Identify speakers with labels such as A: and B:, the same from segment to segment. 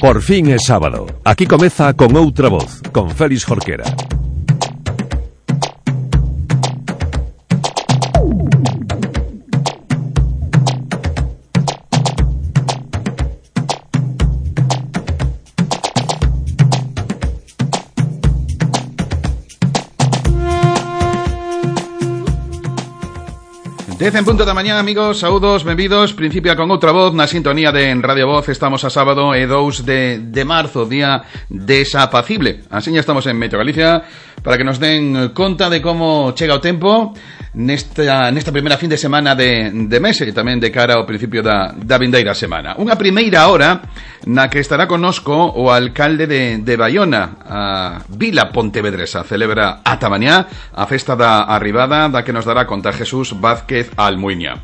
A: Por fin é sábado. Aquí comeza Con Outra Voz, con Félix Jorquera.
B: Dez en punto da mañá, amigos, saúdos, benvidos. Principia Con Outra Voz na sintonía de Radio Voz. Estamos a sábado e 2 de marzo, día desapacible. Así ya estamos en Meteo Galicia para que nos den conta de como chega o tempo nesta primeira fin de semana de mes e tamén de cara ao principio da vindeira semana. Unha primeira hora na que estará connosco o alcalde de Baiona, a Vila Pontevedresa. Celebra ata mañá a festa da arribada da que nos dará conta Jesús Vázquez Almuiña.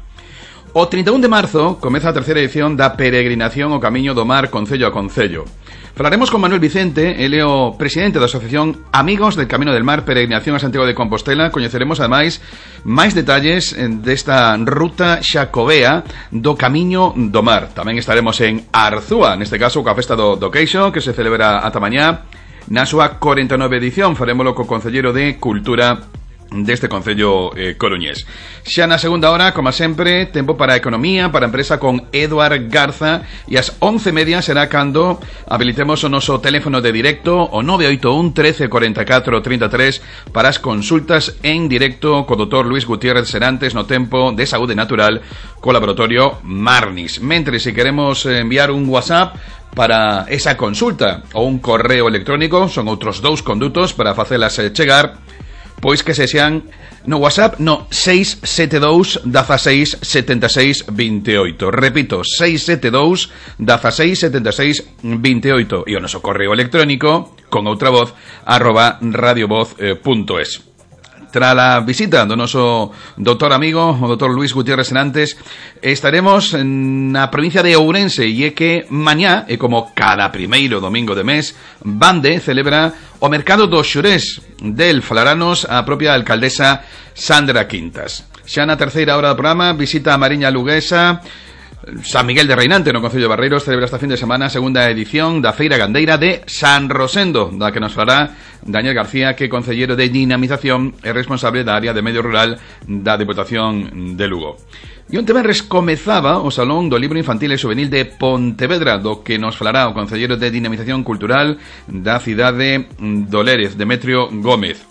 B: O 31 de marzo comeza a terceira edición da peregrinación ao Camiño do Mar concello a concello. Falaremos con Manuel Vicente, ele é o presidente da Asociación Amigos del Camino del Mar Peregrinación a Santiago de Compostela. Coñeceremos ademais máis detalles desta ruta xacobea do Camiño do Mar. Tamén estaremos en Arzúa, neste caso coa festa do Queixo, que se celebra ata mañá na súa 49 edición. Farémolo co concelleiro de Cultura deste concello coruñés. Xa na segunda hora, como sempre, tempo para economía, para empresa con Eduard Garza, e ás 11:30 será cando habilitemos o noso teléfono de directo, o 981 13 44 33, para as consultas en directo co Dr. Luis Gutiérrez Serantes no tempo de saúde natural co laboratorio Marnis. Mentre, se queremos enviar un WhatsApp para esa consulta ou un correo electrónico, son outros dous condutos para facelas chegar, pois que se sean no WhatsApp no 672 16 76 28. Repito, 672 16 76 28. E o noso correo electrónico con outra voz @radiovoz.es. Tras a visita do noso doutor amigo, o doutor Luis Gutiérrez Serantes, estaremos na provincia de Ourense, e é que mañá, e como cada primeiro domingo de mes, Bande celebra o mercado dos xurés. Del falaranos a propia alcaldesa Sandra Quintas. Xa na terceira hora do programa, visita a Mariña Luguesa. San Miguel de Reinante, no concello de Barreiros, celebra esta fin de semana a segunda edición da Feira Gandeira de San Rosendo, da que nos falará Daniel García, que é concellero de dinamización e responsable da área de medio rural da Deputación de Lugo. E onte venres comezaba o Salón do Libro Infantil e Juvenil de Pontevedra, do que nos falará o concellero de dinamización cultural da cidade do Lérez, Demetrio Gómez.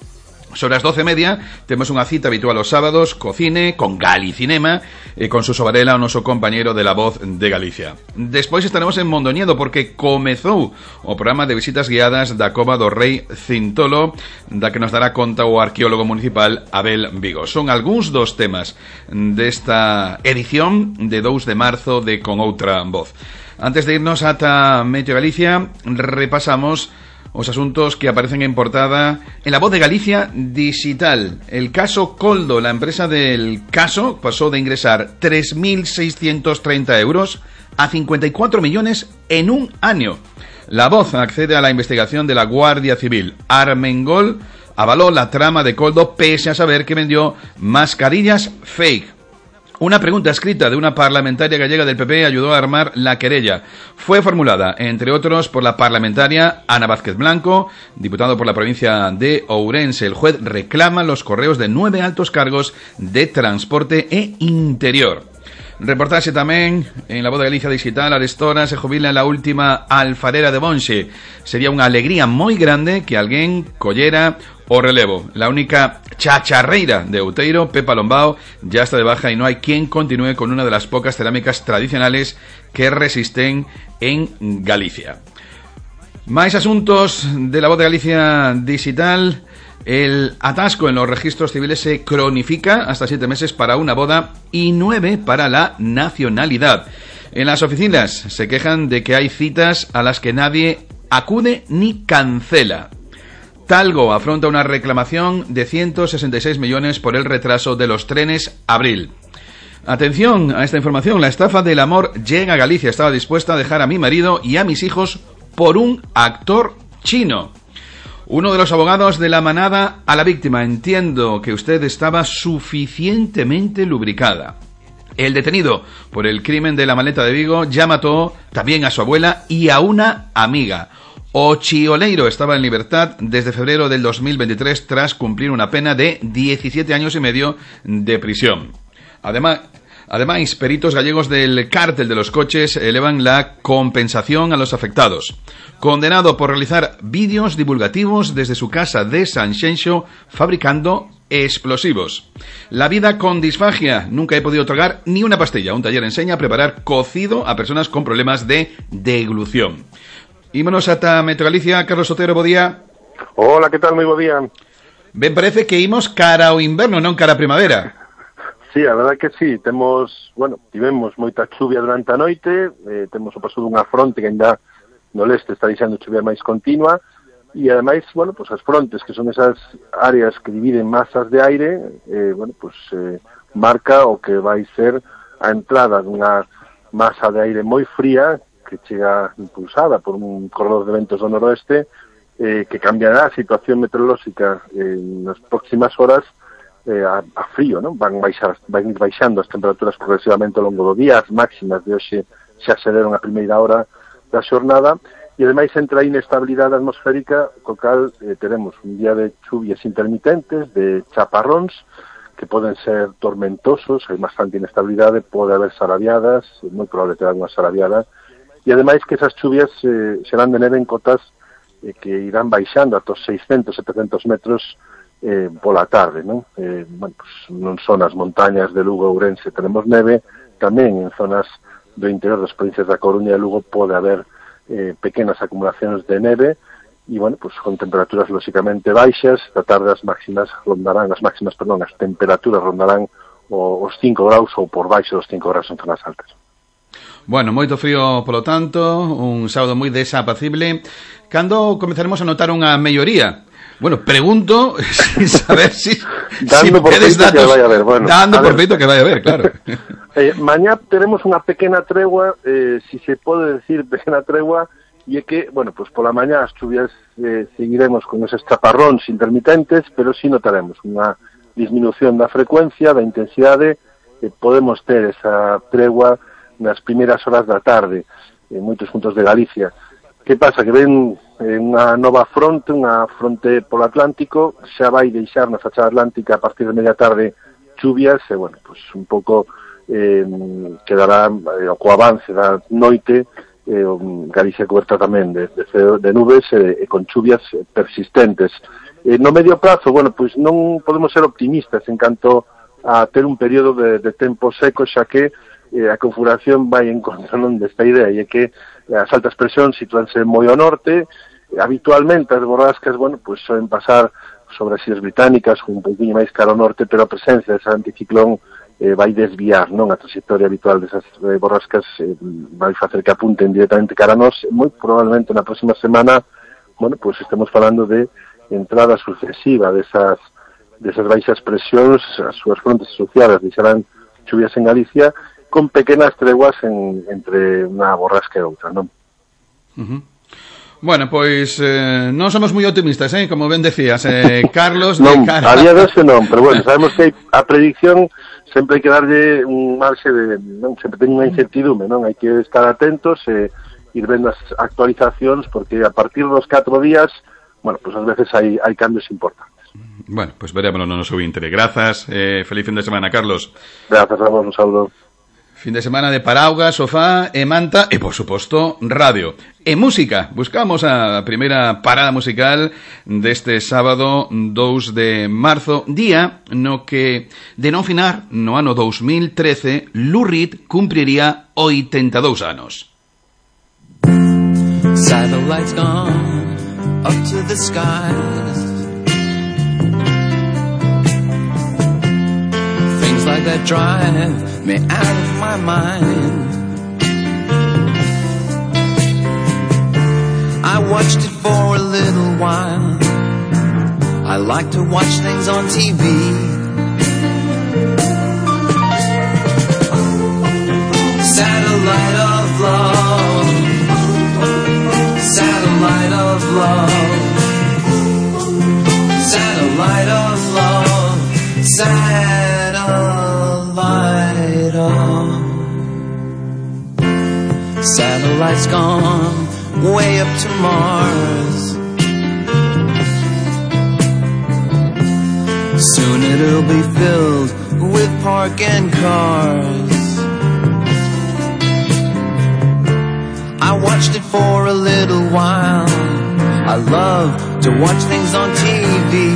B: Sobre as 12:30 temos unha cita habitual os sábados co cine, con Galicinema e con Suso Varela, o noso compañeiro de La Voz de Galicia. Despois estaremos en Mondoñedo porque comezou o programa de visitas guiadas da Cova do Rei Cintolo, da que nos dará conta o arqueólogo municipal Abel Vigo. Son algúns dos temas desta edición de 2 de marzo de Con Outra Voz. Antes de irnos ata Meteo Galicia, repasamos os asuntos que aparecen en portada en La Voz de Galicia digital. El caso Coldo, la empresa del caso, pasó de ingresar 3.630 euros a 54 millones en un año. La Voz accede a la investigación de la Guardia Civil. Armengol avaló la trama de Coldo pese a saber que vendió mascarillas fake. Una pregunta escrita de una parlamentaria gallega del PP ayudó a armar la querella. Fue formulada, entre otros, por la parlamentaria Ana Vázquez Blanco, diputado por la provincia de Ourense. El juez reclama los correos de 9 altos cargos de transporte e interior. Reportaxe tamén en La Voz de Galicia digital. Arestora se jubila la última alfarera de Bonxe. Sería unha alegría moi grande que alguén collera o relevo. La única chacharreira de Outeiro, Pepa Lombao, ya está de baja y no hay quien continúe con una de las pocas cerámicas tradicionales que resisten en Galicia. Máis asuntos de La Voz de Galicia digital. El atasco en los registros civiles se cronifica hasta 7 meses para una boda y 9 para la nacionalidad. En las oficinas se quejan de que hay citas a las que nadie acude ni cancela. Talgo afronta una reclamación de 166 millones por el retraso de los trenes Abril. Atención a esta información, la estafa del amor llega a Galicia. Estaba dispuesta a dejar a mi marido y a mis hijos por un actor chino. Uno de los abogados de la manada a la víctima: entiendo que usted estaba suficientemente lubricada. El detenido por el crimen de la maleta de Vigo ya mató también a su abuela y a una amiga. Ochioleiro estaba en libertad desde febrero del 2023 tras cumplir una pena de 17 años y medio de prisión. Además, peritos gallegos del cártel de los coches elevan la compensación a los afectados. Condenado por realizar vídeos divulgativos desde su casa de Sanxenxo fabricando explosivos. La vida con disfagia. Nunca he podido tragar ni una pastilla. Un taller enseña a preparar cocido a personas con problemas de deglución. Ímonos ata Metro Galicia. Carlos Otero, bo día.
C: Hola, que tal? Moi bo día.
B: Ben, parece que imos cara ao inverno, non cara a primavera.
C: Sí, a verdade que sí, tivemos moita chuvia durante a noite, temos o paso dunha fronte que ainda no leste está deixando chuvia máis continua, e ademais, as frontes, que son esas áreas que dividen masas de aire, marca o que vai ser a entrada dunha masa de aire moi fría, que chega impulsada por un corredor de ventos do noroeste, que cambiará a situación meteorolóxica nas próximas horas a frío, non? Van ir baixando as temperaturas progresivamente ao longo do día, as máximas de hoxe xa aceleran a primeira hora da xornada, e ademais entra a inestabilidade atmosférica, co cal teremos un día de chuvias intermitentes, de chaparróns, que poden ser tormentosos, hai bastante inestabilidade, pode haber sarabiadas, é moi probable ter unha sarabiada, e ademais que esas chuvias serán de neve en cotas que irán baixando ata os 600-700 metros pola tarde, non? Non son as montañas de Lugo e Ourense tenemos neve, tamén en zonas do interior das provincias da Coruña e Lugo pode haber pequenas acumulacións de neve e, con temperaturas lóxicamente baixas. Da tarde as temperaturas rondarán os 5 graus ou por baixo dos 5 graus en zonas altas.
B: Bueno, moito frío, polo tanto, un sábado moi desapacible. Cando comezaremos a notar unha melloría? Bueno, pregunto saber si
C: dando por feito que vai haber.
B: Dando por feito que vai haber, claro.
C: Mañá teremos unha pequena tregua, si se pode decir pequena tregua, e é que, pola mañá as chuvias seguiremos con esos chaparróns intermitentes, pero si notaremos unha disminución da frecuencia, da intensidade, podemos ter esa tregua nas primeiras horas da tarde en moitos puntos de Galicia. Que pasa? Que ven unha nova fronte, unha fronte polo Atlántico, xa vai deixar na fachada atlántica a partir de media tarde chuvias, e un pouco quedará co avance da noite Galicia coberta tamén de nubes e con chuvias persistentes. No medio prazo, non podemos ser optimistas en canto a ter un período de tempo seco, xa que a configuración vai en contra desta idea, e é que as altas presións sitúanse moi ao norte, habitualmente as borrascas, soen pasar sobre as illas británicas, un pouquinho máis cara ao norte, pero a presencia dese anticiclón vai desviar, non, a trayectoria habitual desas borrascas, vai facer que apunten directamente cara a nós. Moi probablemente na próxima semana, estemos falando de entrada sucesiva desas baixas presións, as súas frontes asociadas deixarán chuvias en Galicia, con pequenas treguas entre unha borrasca e outra, non?
B: Bueno, pois non somos moi optimistas, como ben decías, Carlos.
C: Non, a día de hoxe non, pero sabemos que a predicción sempre hai que darlle un marxe sempre ten unha incertidume, non? Hai que estar atentos e ir vendo as actualizacións, porque a partir dos 4 días, ás veces hai cambios importantes.
B: Bueno, pois verémoslo no noso intere. Grazas, feliz fin de semana, Carlos.
C: Grazas a vos, un saúdo.
B: Fin de semana de paraugas, sofá e manta e, por suposto, radio. E música. Buscamos a primeira parada musical deste sábado 2 de marzo, día no que, de non finar, no ano 2013, Lou Reed cumpriría 82 anos.
D: Satellites gone up to the skies, things like that drive me out of my mind. I watched it for a little while. I like to watch things on TV. Satellite of love, satellite of love. Satellites gone way up to Mars. Soon it'll be filled with parking cars. I watched it for a little while. I love to watch things on TV.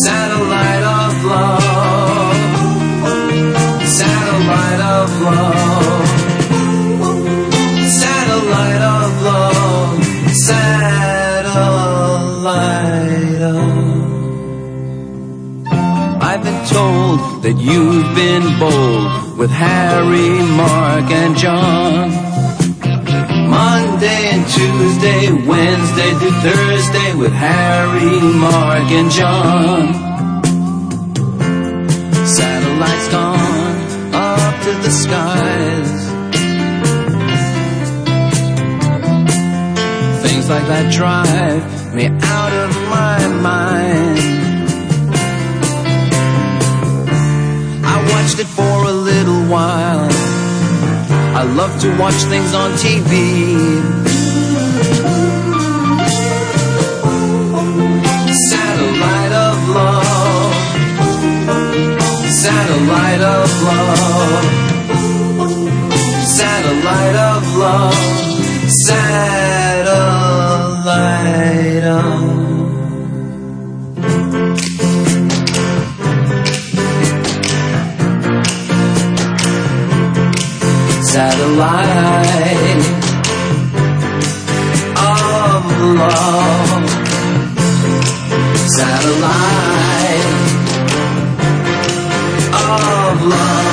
D: Satellite of love. Satellite of love. Satellite of love. Satellite of. I've been told that you've been bold with Harry, Mark, and John. Monday and Tuesday, Wednesday through Thursday with Harry, Mark, and John. Satellites gone up to the skies. Things like that drive me out of my mind. I watched it for a little while. I love to watch things on TV. Satellite of love. Satellite of love. Satellite of love. Satellite of. Satellite of love. Satellite of love. Satellite of love. Satellite of love.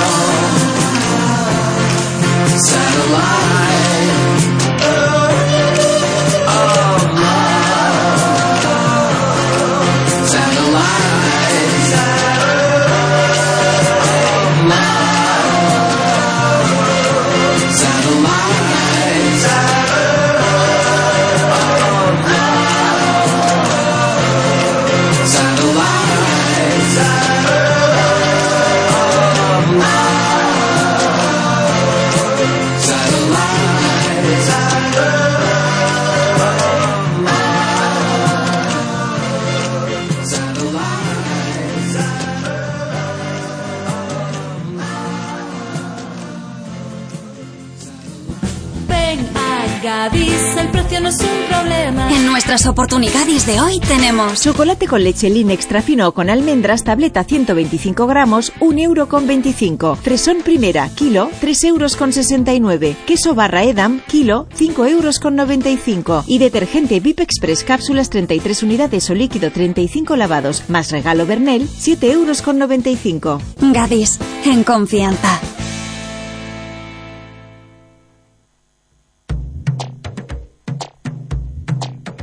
E: Gadis, el precio no es un problema.
F: En nuestras oportunidades de hoy tenemos
G: chocolate con leche Lin extra fino con almendras, tableta 125 gramos, 1,25 €. Fresón primera, kilo, 3,69 €. Queso barra Edam, kilo, 5,95 €. Y detergente VIP Express cápsulas 33 unidades o líquido 35 lavados, más regalo Bernel, 7,95 €.
F: Gadis, en confianza.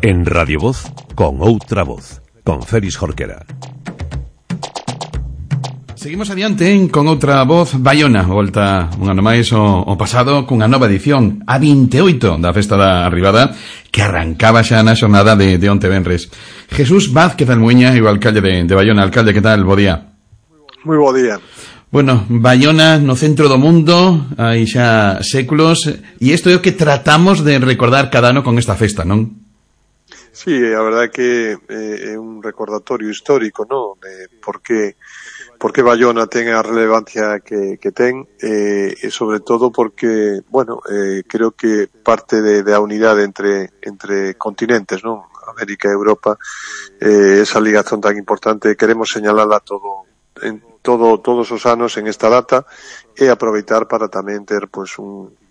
A: En Radio Voz, con outra voz, con Félix Jorquera.
B: Seguimos adiante con outra voz. Baiona volta un ano máis o pasado cunha nova edición, a 28 da Festa da Arribada, que arrancaba xa na xornada de onte venres. Jesús Vázquez Almuña, o alcalde de Baiona. Alcalde, que tal? Bo día.
H: Moi bo día.
B: Bueno, Baiona no centro do mundo, hai xa séculos, e isto é o que tratamos de recordar cada ano con esta festa, non?
H: Sí, a verdade é que é un recordatorio histórico, non? De por que Baiona ten a relevancia que ten, e sobre todo porque, bueno, creo que parte da unidade entre continentes, non? América e Europa, esa ligazón tan importante, queremos señalala todos os anos en esta data e aproveitar para tamén ter pois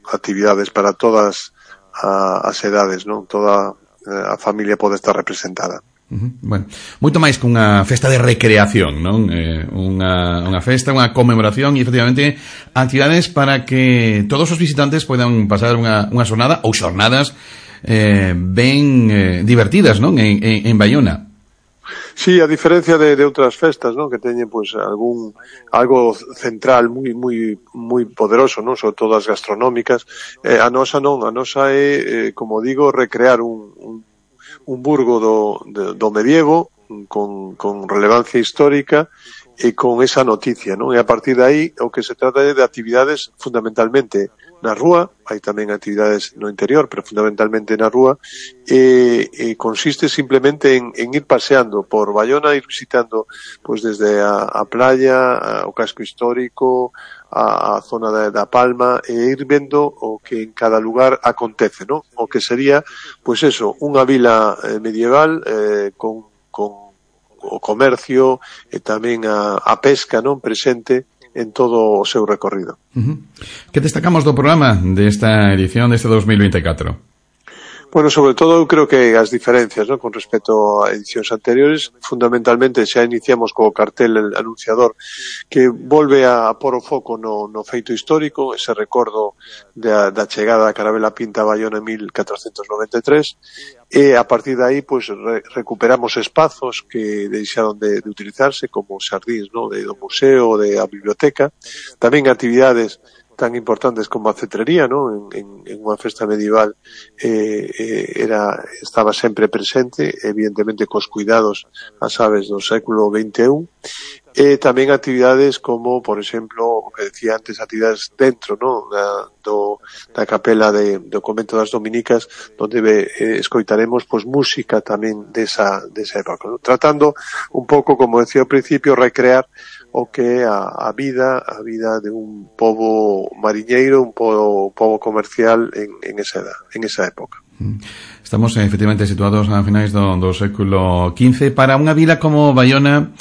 H: actividades para todas as edades, non? Toda a familia pode estar representada.
B: Bueno, moito máis que unha festa de recreación, non? Unha festa, unha conmemoración e, efectivamente, actividades para que todos os visitantes poidan pasar unha xornada ou xornadas ben divertidas, non? En Baiona.
H: Sí, a diferencia de outras festas, non, que teñen pois algo central moi poderoso, non, sobre todo as gastronómicas, a nosa non, a nosa é, como digo, recrear un burgo do medievo con relevancia histórica con esa noticia, non? E a partir de aí o que se trata é de actividades fundamentalmente na rúa, hai tamén actividades no interior, pero fundamentalmente na rúa, e consiste simplemente en ir paseando por Baiona, ir visitando pues desde a playa, o casco histórico, a zona da Palma, e ir vendo o que en cada lugar acontece, ¿no? O que sería, pues eso, unha vila medieval con o comercio e tamén a pesca, non, presente en todo o seu recorrido.
B: Que destacamos do programa desta edición deste 2024?
H: Bueno, sobre todo eu creo que as diferencias, ¿no?, con respecto a edicións anteriores, fundamentalmente xa iniciamos co cartel anunciador que volve a pôr o foco no feito histórico, ese recordo da chegada da Carabela Pinta a Baiona en 1493, e a partir de aí pues recuperamos espazos que deixaron de utilizarse, como os xardíns, ¿no?, do museo, da biblioteca, tamén actividades tan importantes como a cetrería, ¿no?, en unha festa medieval estaba sempre presente, evidentemente cos cuidados as aves do século XXI, e tamén actividades como, por exemplo, o que decía antes, actividades dentro, ¿no?, da capela do convento das Dominicas, onde escoitaremos pues música tamén desa época, ¿no?, tratando un pouco, como decía ao principio, recrear o que é a vida de un pobo mariñeiro, un pobo comercial en esa época.
B: Estamos efectivamente situados a finais do século XV. Para unha vila como Baiona,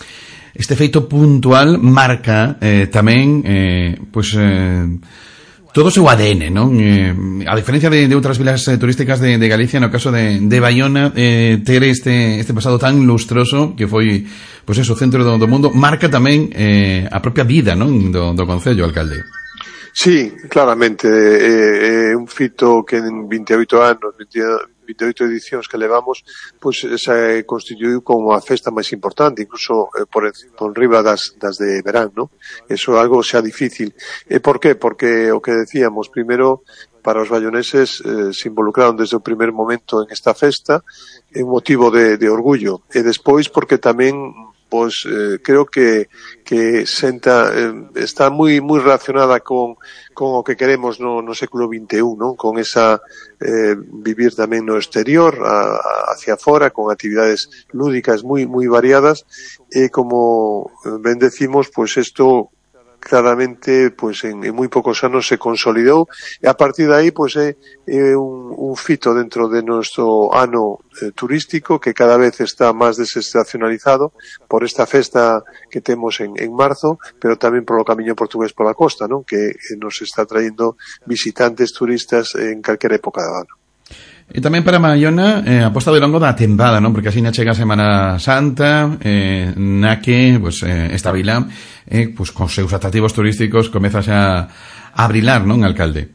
B: este feito puntual marca tamén todo o seu ADN, non? A diferencia de outras vilas turísticas de Galicia, no caso de Baiona, ter este pasado tan lustroso que foi, pois eso, o centro do mundo, marca tamén a propia vida, non, do concello, alcalde.
H: Sí, claramente, é un fito que en 28 anos, 28 edicións que levamos, pois se constituiu como a festa máis importante, incluso por riba das de verán, ¿no? Eso é algo xa difícil. E por qué? Porque o que decíamos, primeiro, para os baioneses se involucraron desde o primer momento en esta festa, é un motivo de orgullo. E despois porque tamén pois creo que está moi relacionada con o que queremos no século XXI, non? Con esa vivir tamén no exterior, hacia fora, con actividades lúdicas moi variadas, e como ben decimos, pois isto claramente pues en moi poucos anos se consolidou, e a partir de aí pues é un fito dentro de nuestro ano turístico que cada vez está máis desestacionalizado por esta festa que temos en marzo, pero tamén polo camiño portugués pola costa, ¿no?, que nos está traindo visitantes turistas en calquera época do ano.
B: E tamén para Baiona aposta de longo da tempada, non? Porque así na chega a Semana Santa, na que pues, esta vila pues, con seus atractivos turísticos comeza xa a brilar, non, alcalde?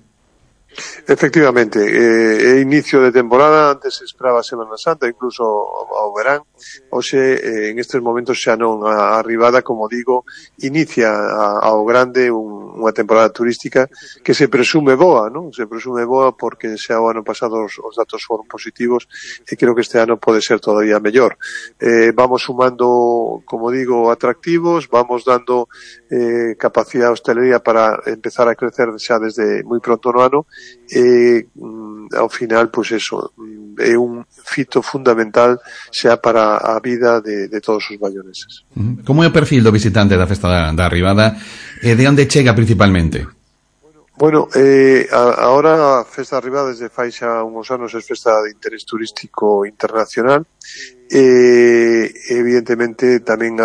H: Efectivamente, é inicio de temporada, antes se esperaba a Semana Santa, incluso ao verán. Hoxe, en estes momentos xa non, a arribada, como digo, inicia ao grande unha temporada turística que se presume boa, non? Se presume boa porque xa o ano pasado os datos foron positivos e creo que este ano pode ser todavía mellor. Vamos sumando, como digo, atractivos, vamos dando capacidade de hostelería para empezar a crecer xa desde moi pronto no ano, e ao final, pois eso, é un fito fundamental xa para a vida de todos os baioneses.
B: Como é o perfil do visitante da festa da Arribada e de onde chega principalmente?
H: Bueno, ahora a festa da Arribada desde fai xa uns anos é festa de interés turístico internacional, e evidentemente tamén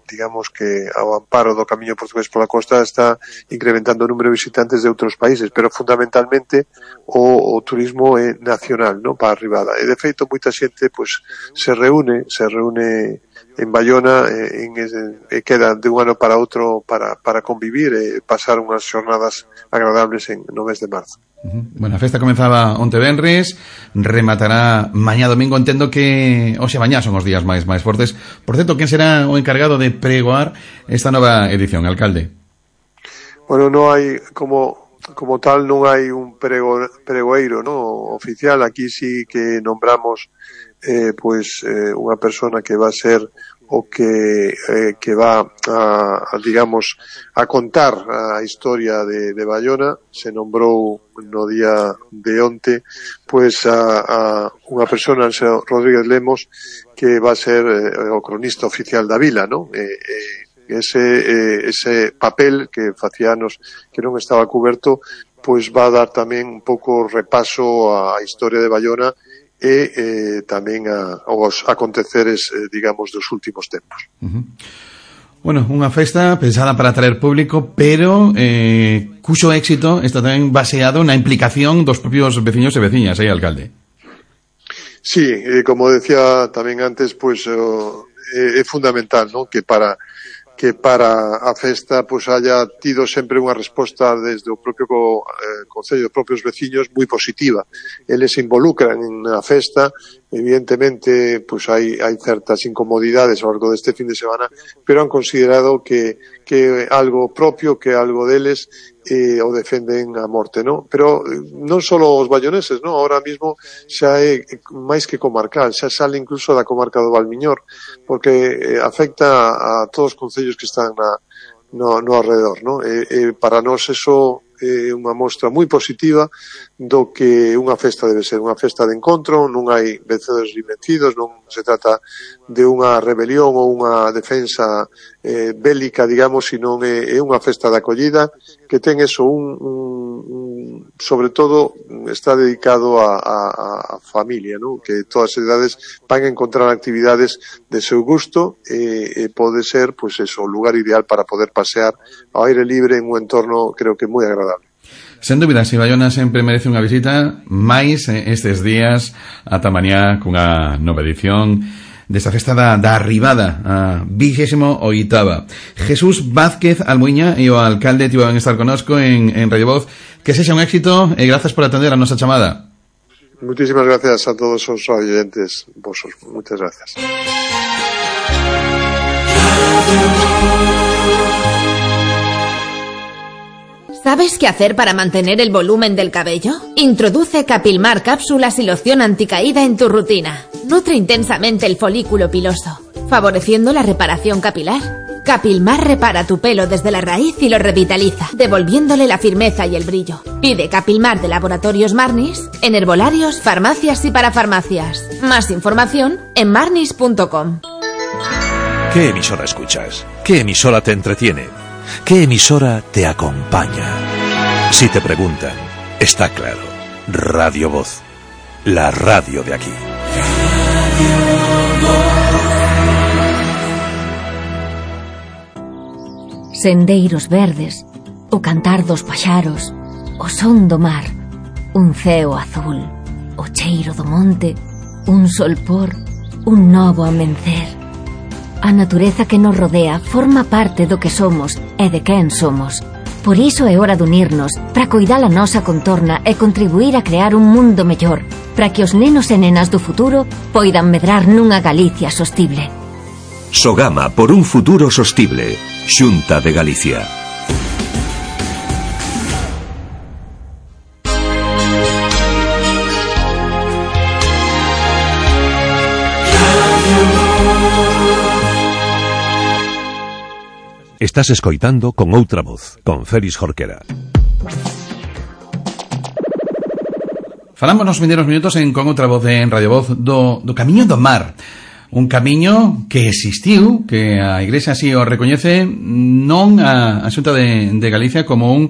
H: digamos que ao amparo do camiño portugués pola costa está incrementando o número de visitantes de outros países, pero fundamentalmente o turismo é nacional, non, para a Arribada. E de feito moita xente pois se reúne en Baiona e queda de un ano para outro para convivir e pasar unhas xornadas agradables no mes de marzo.
B: Bueno, a festa comenzaba onte venres, rematará mañá domingo. Entendo que hoxe mañá son os días máis fortes. Por certo, quen será o encargado de pregoar esta nova edición, alcalde?
H: Bueno, non hai como tal, non hai un pregoeiro, no, oficial. Aquí sí que nombramos unha persona que va a ser va a contar a historia de Baiona. Se nombrou no día de onte a unha persona, Rodríguez Lemos, que va a ser o cronista oficial da vila, non? Ese papel que facía anos que non estaba cuberto, va a dar tamén un pouco repaso á historia de Baiona e tamén aos aconteceres, dos últimos tempos.
B: Bueno, unha festa pensada para atraer público, pero cuxo éxito está tamén baseado na implicación dos propios veciños e veciñas, alcalde?
H: Sí, como decía tamén antes, é fundamental, ¿no?, que para a festa haya tido sempre unha resposta desde o propio Concello, dos propios veciños, moi positiva. Eles se involucran na festa, evidentemente hai certas incomodidades ao largo deste fin de semana, pero han considerado que algo propio, que algo deles, o defenden a morte, ¿no? Pero non só os baioneses, ¿no? Ahora mismo xa é máis que comarcal, xa sale incluso da comarca do Valmiñor, porque afecta a todos os concellos que están no alrededor, ¿no? Para nós eso é unha mostra moi positiva do que unha festa debe ser, unha festa de encontro. Non hai vencedores e vencidos, non se trata de unha rebelión ou unha defensa bélica, sino é unha festa de acollida que ten eso, sobre todo está dedicado a familia, ¿no? Que todas as edades van a encontrar actividades de seu gusto e pode ser, o lugar ideal para poder pasear ao aire libre en un entorno, creo que moi agradable.
B: Sen dúbida, si Baiona sempre merece unha visita, máis estes días ata mañá cunha nova edición desta festa da arribada a 28ª. Jesús Vázquez Almuiña e o alcalde tiveron a estar connosco en Radio Voz. Que sexa un éxito e grazas por atender a nosa chamada.
H: Muchísimas gracias a todos os oyentes vosos. Muchas gracias.
I: ¿Sabes qué hacer para mantener el volumen del cabello? Introduce Capilmar cápsulas y loción anticaída en tu rutina. Nutre intensamente el folículo piloso, favoreciendo la reparación capilar. Capilmar repara tu pelo desde la raíz y lo revitaliza, devolviéndole la firmeza y el brillo. Pide Capilmar de Laboratorios Marnis en herbolarios, farmacias y parafarmacias. Más información en marnis.com.
A: ¿Qué emisora escuchas? ¿Qué emisora te entretiene? ¿Qué emisora te acompaña? Si te preguntan, está claro. Radio Voz, la radio de aquí.
J: Sendeiros verdes, o cantar dos paxaros, o son do mar, un ceo azul, o cheiro do monte, un solpor, un novo amencer. A natureza que nos rodea forma parte do que somos e de quen somos. Por iso é hora de unirnos para coidar a nosa contorna e contribuir a crear un mundo mellor, para que os nenos e nenas do futuro poidan medrar nunha Galicia sostible.
A: Sogama por un futuro sostible. Xunta de Galicia. Estás escoitando Con Outra Voz, con Félix Jorquera.
B: Falamos nos vindeiros minutos Con Outra Voz en Radio Voz do Camiño do Mar. Un camiño que existiu, que a Igrexa así o recoñece, non a Xunta de Galicia como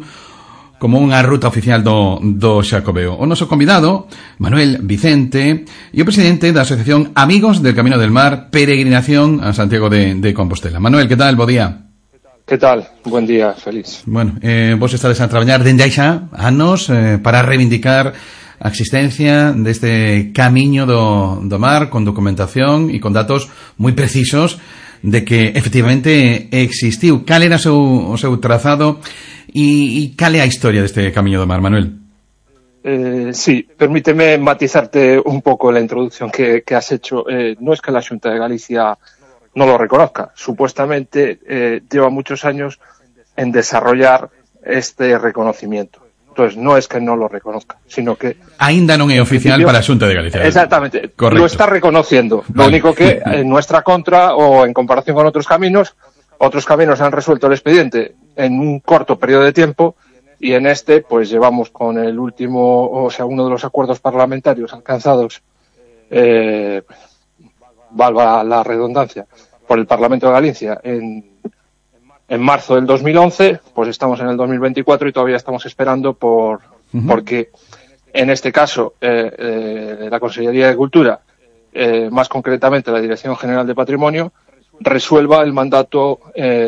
B: unha ruta oficial do Xacobeo. O noso convidado, Manuel Vicente, e o presidente da Asociación Amigos del Camino del Mar, Peregrinación a Santiago de Compostela. Manuel, que tal? Bo día.
K: Que tal? Buen día, Félix.
B: Bueno, vos estades a traballar dende hai xa anos para reivindicar a existencia deste camiño do mar con documentación e con datos moi precisos de que efectivamente existiu. Cal era o seu trazado e cal é a historia deste camiño do mar, Manuel?
K: Sí, permíteme matizarte un poco la introducción que has hecho. No es que la Xunta de Galicia no lo reconozca. Supuestamente lleva muchos años en desarrollar este reconocimiento. Entonces, no es que no lo reconozca, sino que...
B: Aínda non é oficial para a Xunta de Galicia.
K: Exactamente.
B: Correcto.
K: Lo está reconociendo.
B: Vale.
K: Lo único que, en nuestra contra, o en comparación con otros caminos han resuelto el expediente en un corto periodo de tiempo, y en este, pues llevamos con el último, o sea, uno de los acuerdos parlamentarios alcanzados, valga la redundancia, por el Parlamento de Galicia en marzo del 2011, pues estamos en el 2024 y todavía estamos esperando porque en este caso la Consellería de Cultura, más concretamente la Dirección General de Patrimonio, resuelva el mandato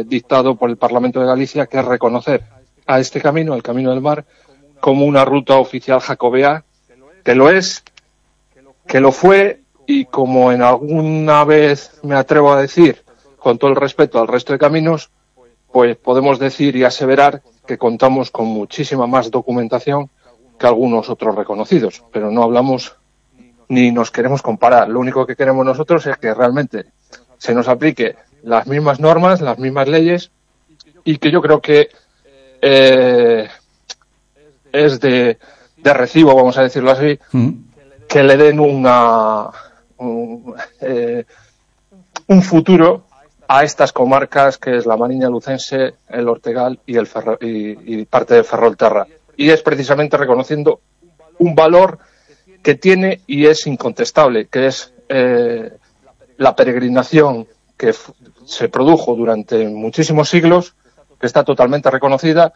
K: dictado por el Parlamento de Galicia, que es reconocer a este camino, el Camino del Mar, como una ruta oficial jacobea, que lo es, que lo fue, y como en alguna vez me atrevo a decir, con todo el respeto al resto de caminos, pues podemos decir y aseverar que contamos con muchísima más documentación que algunos otros reconocidos, pero no hablamos ni nos queremos comparar. Lo único que queremos nosotros es que realmente se nos aplique las mismas normas, las mismas leyes, y que yo creo que es de recibo, vamos a decirlo así, que le den un futuro a estas comarcas, que es la Mariña Lucense, el Ortegal y parte de Ferrolterra. Y es precisamente reconociendo un valor que tiene y es incontestable, que es la peregrinación que se produjo durante muchísimos siglos, que está totalmente reconocida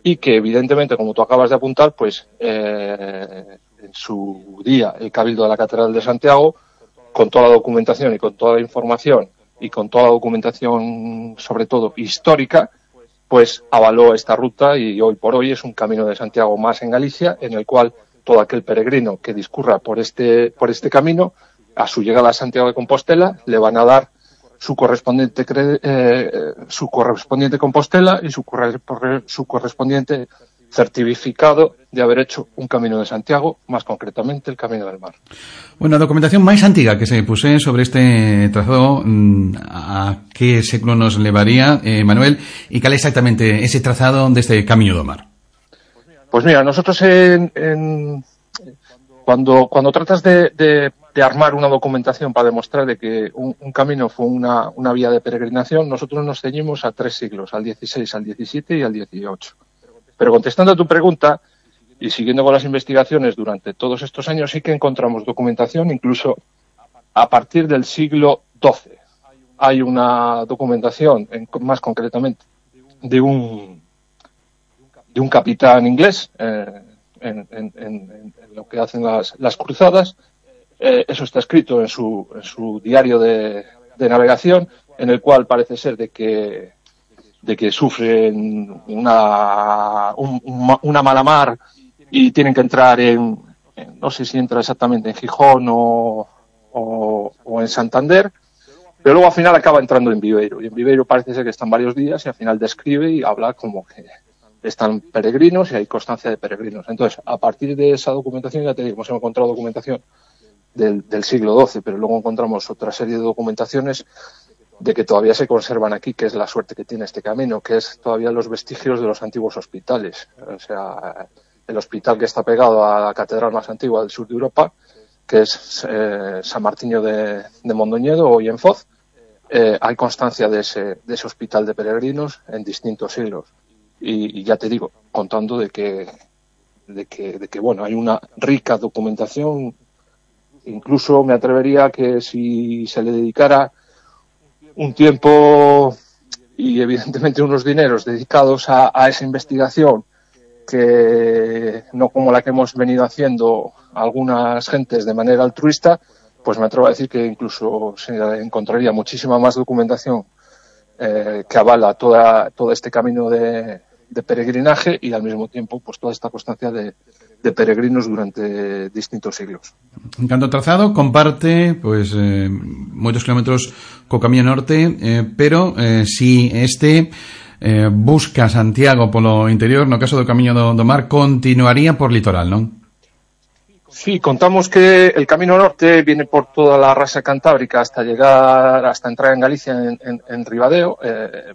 K: y que evidentemente, como tú acabas de apuntar, pues en su día el Cabildo de la Catedral de Santiago, con toda la documentación y con toda la información y con toda la documentación, sobre todo histórica, pues avaló esta ruta, y hoy por hoy es un Camino de Santiago más en Galicia, en el cual todo aquel peregrino que discurra por este camino, a su llegada a Santiago de Compostela, le van a dar su correspondiente Compostela y su correspondiente certificado de haber hecho un Camino de Santiago, más concretamente el Camino del Mar.
B: Bueno, a documentación máis antiga que se puse sobre este trazado, a que século nos levaría, Manuel, e cal é exactamente ese trazado deste Camiño do Mar?
K: Pues mira, nosotros cuando tratas de armar una documentación para demostrar de que un camino fue una vía de peregrinación, nosotros nos ceñimos a 3 siglos, al 16, al 17 y al 18. Pero contestando a tu pregunta y siguiendo con las investigaciones durante todos estos años, sí que encontramos documentación incluso a partir del siglo XII. Hay una documentación, más concretamente, de un capitán inglés en lo que hacen las cruzadas. Eso está escrito en su diario de navegación, en el cual parece ser de que sufren una mala mar y tienen que entrar no sé si entra exactamente en Gijón o en Santander, pero luego al final acaba entrando en Viveiro, y en Viveiro parece ser que están varios días, y al final describe y habla como que están peregrinos y hay constancia de peregrinos. Entonces, a partir de esa documentación, ya te digo, hemos encontrado documentación del siglo XII, pero luego encontramos otra serie de documentaciones de que todavía se conservan aquí, que es la suerte que tiene este camino, que es todavía los vestigios de los antiguos hospitales. O sea, el hospital que está pegado a la catedral más antigua del sur de Europa, que es San Martiño de Mondoñedo, hoy en Foz. Hay constancia de ese hospital de peregrinos en distintos siglos. Y ya te digo, contando de que bueno, hay una rica documentación. Incluso me atrevería que si se le dedicara un tiempo y evidentemente unos dineros dedicados a esa investigación, que no como la que hemos venido haciendo algunas gentes de manera altruista, pues me atrevo a decir que incluso se encontraría muchísima más documentación que avala todo este camino de peregrinaje, y al mismo tiempo pues toda esta constancia de peregrinos durante distintos siglos.
B: En canto ao trazado, comparte pois moitos kilómetros co Camiño Norte, pero si busca Santiago polo interior, no caso do Camiño do Mar, continuaría por litoral, non?
K: Sí, contamos que el Camino Norte viene por toda la rasa cantábrica hasta entrar en Galicia en Ribadeo.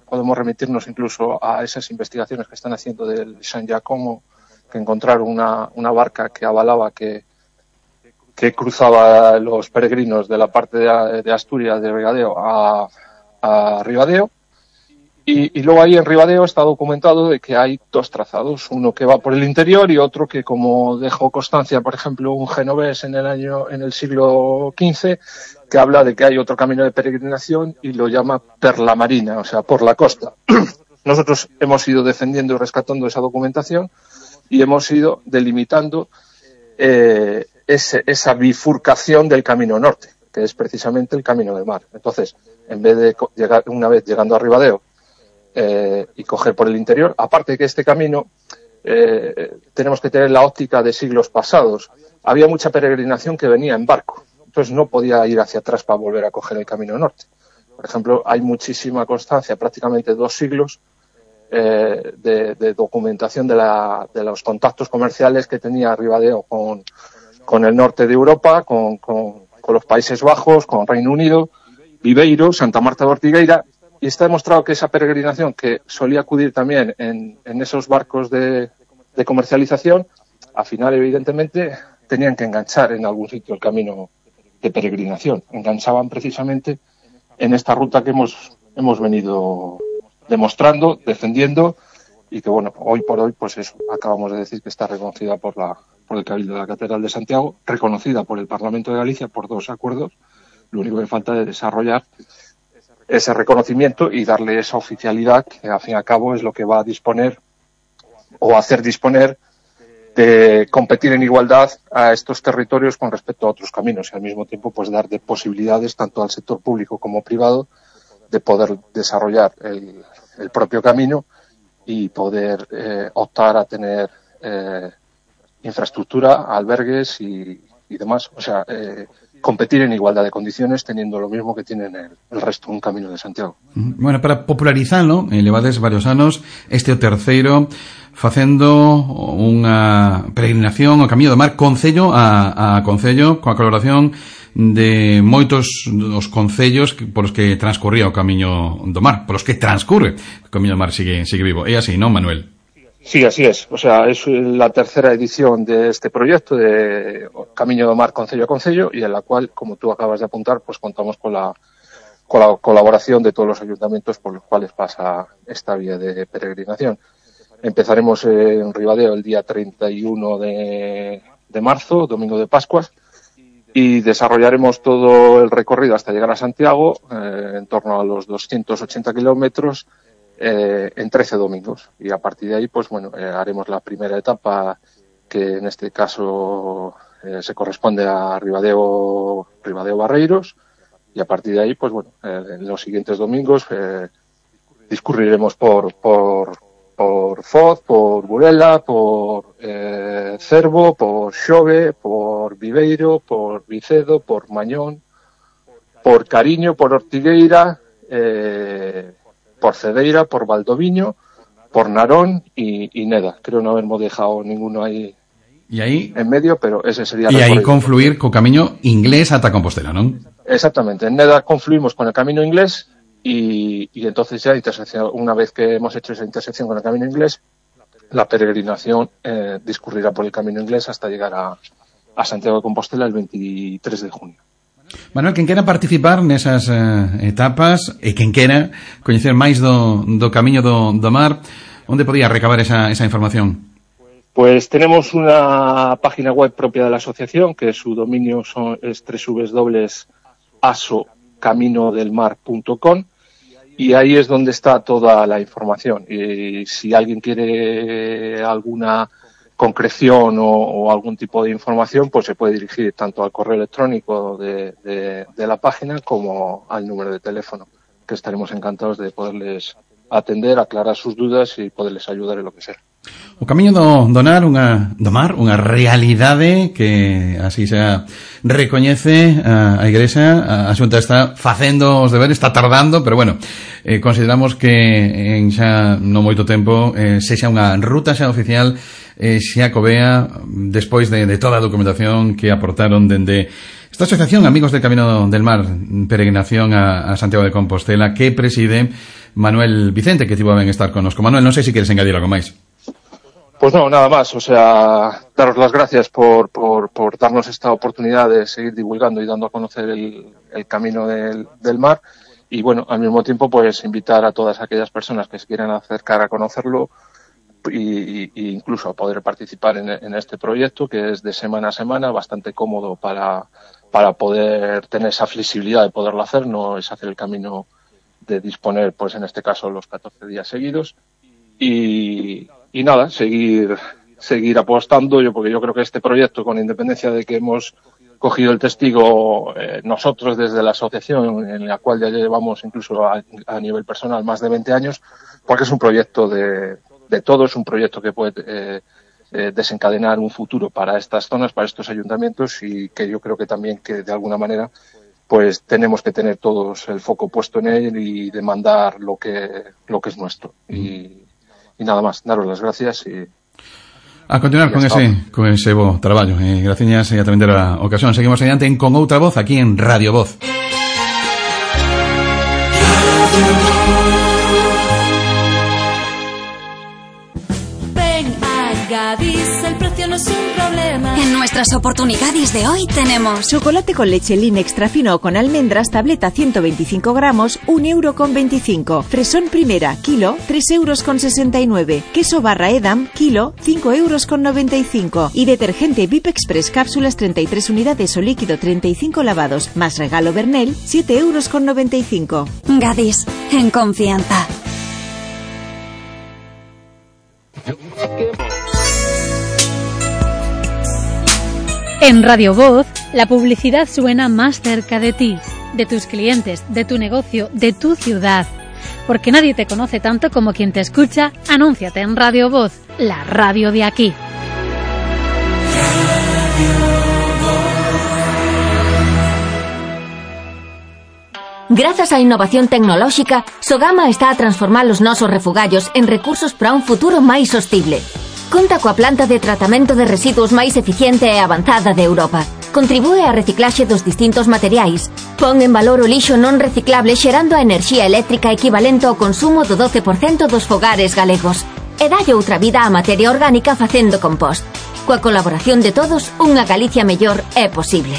K: Podemos remitirnos incluso a esas investigaciones que están haciendo del San Giacomo, que que encontraron una barca que avalaba que cruzaba los peregrinos de la parte de Asturias, de Ribadeo, a Ribadeo. Y luego ahí en Ribadeo está documentado de que hay 2 trazados, uno que va por el interior y otro que, como dejó constancia, por ejemplo, un genovés en el siglo XV, que habla de que hay otro camino de peregrinación y lo llama per la marina, o sea, por la costa. Nosotros hemos ido defendiendo y rescatando esa documentación y hemos ido delimitando esa bifurcación del camino norte, que es precisamente el camino del mar. Entonces, en vez de llegar, una vez llegando a Ribadeo, y coger por el interior, aparte que este camino tenemos que tener la óptica de siglos pasados. Había mucha peregrinación que venía en barco, entonces no podía ir hacia atrás para volver a coger el camino norte. Por ejemplo, hay muchísima constancia, prácticamente 2 siglos de documentación de los contactos comerciales que tenía Ribadeo con el norte de Europa, con los Países Bajos, con Reino Unido, Viveiro, Santa Marta de Ortigueira. Y está demostrado que esa peregrinación, que solía acudir también en esos barcos de comercialización, al final, evidentemente, tenían que enganchar en algún sitio el camino de peregrinación. Enganchaban precisamente en esta ruta que hemos venido demostrando, defendiendo, y que, bueno, hoy por hoy, pues eso, acabamos de decir que está reconocida por el Cabildo de la Catedral de Santiago, reconocida por el Parlamento de Galicia por 2 acuerdos. Lo único que falta es desarrollar ese reconocimiento y darle esa oficialidad que, al fin y al cabo, es lo que va a disponer o hacer disponer de competir en igualdad a estos territorios con respecto a otros caminos y, al mismo tiempo, pues dar de posibilidades tanto al sector público como privado de poder desarrollar el propio camino y poder optar a tener infraestructura, albergues y demás. O sea, competir en igualdad de condiciones teniendo lo mismo que tienen el resto un Camino de Santiago.
B: Bueno, para popularizalo, levades varios anos este o terceiro facendo unha peregrinación ao Camiño do Mar concello a concello, coa colaboración de moitos dos concellos polos que transcurría o Camiño do Mar, polos que transcurre o Camiño do Mar sigue vivo. É así, non, Manuel?
K: Sí, así es. O sea, es la tercera edición de este proyecto de Camiño do Mar concello a concello y en la cual, como tú acabas de apuntar, pues contamos con la colaboración de todos los ayuntamientos por los cuales pasa esta vía de peregrinación. Empezaremos en Ribadeo el día 31 de marzo, domingo de Pascuas, y desarrollaremos todo el recorrido hasta llegar a Santiago, en torno a los 280 kilómetros, en 13 domingos. Y a partir de ahí, pues bueno, haremos la primera etapa, que en este caso se corresponde a Ribadeo Barreiros, y a partir de ahí, pues bueno, en los siguientes domingos discurriremos por Foz, por Burela, por Cervo, por Xove, por Viveiro, por Vicedo, por Mañón, por Cariño, por Ortigueira, por Cedeira, por Valdoviño, por Narón y Neda. Creo no habermos dejado ninguno ahí en medio, pero ese sería
B: e aí confluir co camiño inglés ata Compostela, non?
K: Exactamente, en Neda confluimos con el camino inglés y entonces ya una vez que hemos hecho esa intersección con el camino inglés, la peregrinación discurrirá por el camino inglés hasta llegar a Santiago de Compostela el 23 de junio.
B: Manuel, quen quera participar nesas etapas e quen quera coñecer máis do Camiño do Mar, onde podía recabar esa información?
K: Pues tenemos una página web propia de la asociación, que su dominio es www.asocaminodelmar.com, y ahí es donde está toda la información. Y si alguien quiere alguna concreción o algún tipo de información, pues se puede dirigir tanto al correo electrónico de la página como al número de teléfono, que estaremos encantados de poderles atender, aclarar sus dudas y poderles ayudar en lo que sea.
B: O Camiño do Mar, unha realidade que así se recoñece a Igrexa. A Xunta está facendo os deberes, está tardando, pero bueno, consideramos que en xa non moito tempo sexa unha ruta xa oficial, xa covea despois de toda a documentación que aportaron dende esta asociación Amigos del Camino del Mar, peregrinación a Santiago de Compostela, que preside Manuel Vicente, que tivo a ben estar connosco. Manuel, non sei se queres engadir algo máis.
K: Pues no, nada más, o sea, daros las gracias por darnos esta oportunidad de seguir divulgando y dando a conocer el camino del mar, y bueno, al mismo tiempo pues invitar a todas aquellas personas que se quieran acercar a conocerlo y incluso a poder participar en este proyecto, que es de semana a semana, bastante cómodo para poder tener esa flexibilidad de poderlo hacer. No es hacer el camino de disponer, pues en este caso, los 14 días seguidos. Y nada, seguir apostando, porque yo creo que este proyecto, con independencia de que hemos cogido el testigo nosotros desde la asociación, en la cual ya llevamos incluso a nivel personal más de 20 años, porque es un proyecto de todos, un proyecto que puede desencadenar un futuro para estas zonas, para estos ayuntamientos, y que yo creo que también que de alguna manera pues tenemos que tener todos el foco puesto en él y demandar lo que es nuestro. Y nada más, daros las gracias y
B: a continuar con ese bo traballo. Gracias e tamén terá ocasión. Seguimos adiante con outra voz aquí en Radio Voz.
E: Ven a Gadis, el precio no es un problema.
F: En nuestras oportunidades de hoy tenemos
G: chocolate con leche Lin extra fino con almendras, tableta 125 gramos, 1,25 €. Fresón primera, kilo, 3,69 €. Queso barra Edam, kilo, 5,95 €. Y detergente VIP Express cápsulas 33 unidades o líquido 35 lavados, más regalo Bernel, 7,95 €.
F: Gadis, en confianza.
L: En Radio Voz, la publicidad suena más cerca de ti, de tus clientes, de tu negocio, de tu ciudad. Porque nadie te conoce tanto como quien te escucha. Anúnciate en Radio Voz, la radio de aquí.
J: Grazas á innovación tecnolóxica, Sogama está a transformar os nosos refugallos en recursos para un futuro máis sostible. Conta coa planta de tratamento de residuos máis eficiente e avanzada de Europa. Contribúe á reciclaxe dos distintos materiais. Pon en valor o lixo non reciclable xerando a enerxía eléctrica equivalente ao consumo do 12% dos fogares galegos. E dalle outra vida á materia orgánica facendo compost. Coa colaboración de todos, unha Galicia mellor é posible.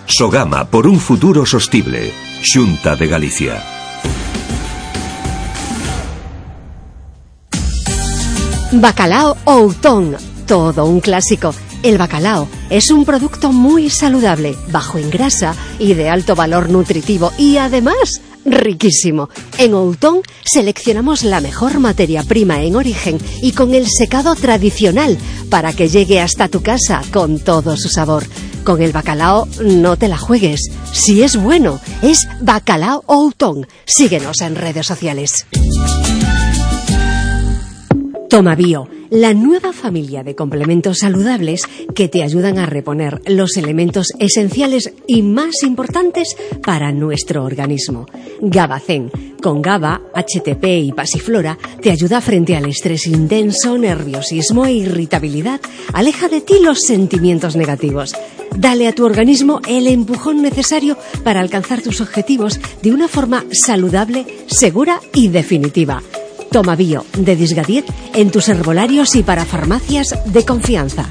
A: Sogama por un futuro sostible. Xunta de Galicia.
M: Bacalao Outón, todo un clásico. El bacalao es un producto muy saludable, bajo en grasa y de alto valor nutritivo y además riquísimo. En Outón seleccionamos la mejor materia prima en origen y con el secado tradicional para que llegue hasta tu casa con todo su sabor. Con el bacalao no te la juegues. Si es bueno, es Bacalao Outón. Síguenos en redes sociales. Toma Bio, la nueva familia de complementos saludables que te ayudan a reponer los elementos esenciales y más importantes para nuestro organismo. Gabacén, con GABA, HTP y pasiflora, te ayuda frente al estrés intenso, nerviosismo e irritabilidad. Aleja de ti los sentimientos negativos. Dale a tu organismo el empujón necesario para alcanzar tus objetivos de una forma saludable, segura y definitiva. Toma Bio, de Disgadiet, en tus herbolarios y para farmacias de confianza.